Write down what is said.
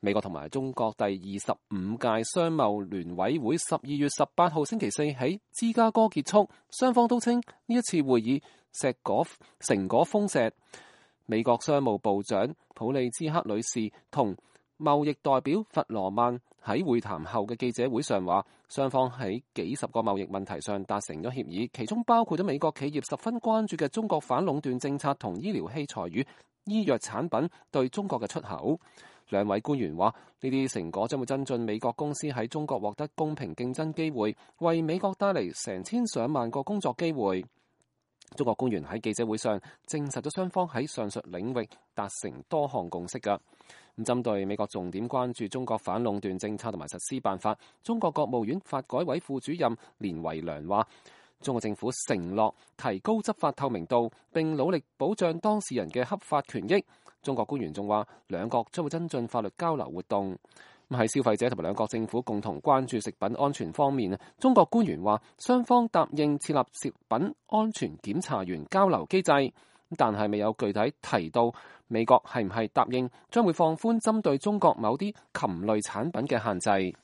美國同埋中國第25屆商貿聯委會12月18號星期四喺芝加哥結束，雙方都稱呢一次會議成果豐碩。美國商務部長普利茲克女士同貿易代表弗羅曼喺會談後嘅記者會上話，雙方喺幾十個貿易問題上達成咗協議，其中包括咗美國企業十分關注嘅中國反壟斷政策同醫療器材與醫藥產品對中國嘅出口。兩位官員話，呢啲成果將會增進美國公司喺中國獲得公平競爭機會，為美國帶嚟成千上萬個工作機會。中國官員喺記者會上證實咗雙方喺上述領域達成多項共識㗎。咁針對美國重點關注中國反壟斷政策同埋實施辦法，中國國務院發改委副主任連維良話，中國政府承諾提高執法透明度，並努力保障當事人嘅合法權益。中國官員仲話，兩國將會增進法律交流活動。喺消費者同埋兩國政府共同關注食品安全方面，中國官員話，雙方答應設立食品安全檢查員交流機制，但係未有具體提到美國係唔係答應將會放寬針對中國某啲禽類產品嘅限制。